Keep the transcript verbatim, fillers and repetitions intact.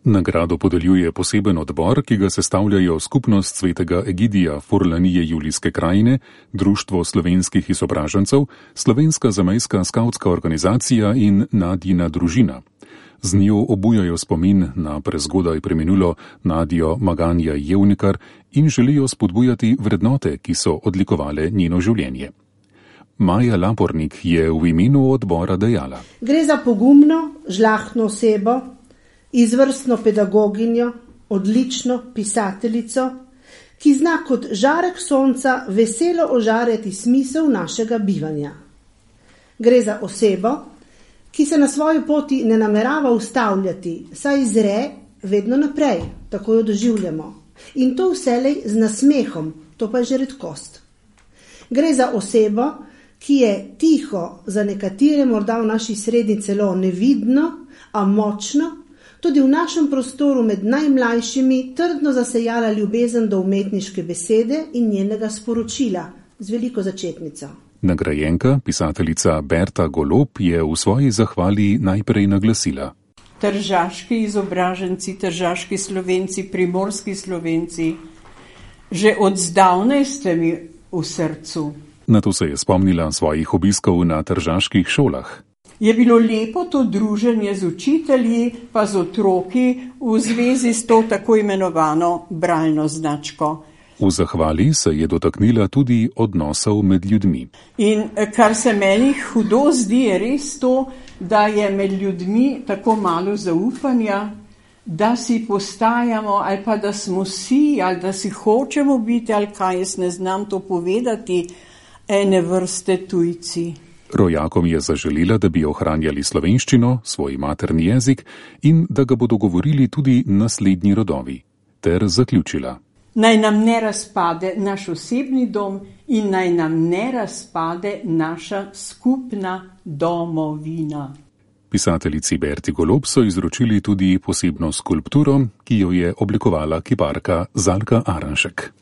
Nagrado podeljuje poseben odbor, ki ga sestavljajo Skupnost svetega Egidija Furlanije Julijske krajine, Društvo slovenskih izobražencev, Slovenska zamejska skavtska organizacija in Nadjina družina. Z njo obujajo spomin na prezgodaj preminulo Nadjo Maganja Jevnikar in želijo spodbujati vrednote, ki so odlikovale njeno življenje. Maja Lapornik je v imenu odbora dejala: Gre za pogumno, žlahtno osebo, izvrstno pedagoginjo, odlično pisateljico, ki zna kot žarek sonca veselo ožarjati smisel našega bivanja. Gre za osebo, ki se na svoji poti ne namerava ustavljati, saj zre vedno naprej, tako jo doživljamo. In to vselej z nasmehom, to pa je že redkost. Gre za osebo, ki je tiho, za nekatere morda v naši srednji celo nevidno, a močno, tudi v našem prostoru med najmlajšimi trdno zasejala ljubezen do umetniške besede in njenega sporočila z veliko začetnico. Nagrajenka, pisateljica Berta Golob, je v svoji zahvali najprej naglasila: Tržaški izobraženci, tržaški Slovenci, primorski Slovenci, že od zdavnaj ste mi v srcu. Nato se je spomnila svojih obiskov na tržaških šolah. Je bilo lepo to druženje z učitelji pa z otroki v zvezi s to tako imenovano bralno značko. V zahvali se je dotaknila tudi odnosov med ljudmi. In kar se meni hudo zdi, je res to, da je med ljudmi tako malo zaupanja, da si postajamo ali pa da smo si ali da si hočemo biti ali kaj, jaz ne znam to povedati, ene vrste tujci. Rojakom je zaželila, da bi ohranjali slovenščino, svoj materni jezik in da ga bodo govorili tudi naslednji rodovi. Ter zaključila: Naj nam ne razpade naš osebni dom in naj nam ne razpade naša skupna domovina. Pisateljici Berti Golob so izročili tudi posebno skulpturo, ki jo je oblikovala kiparka Zalka Aranšek.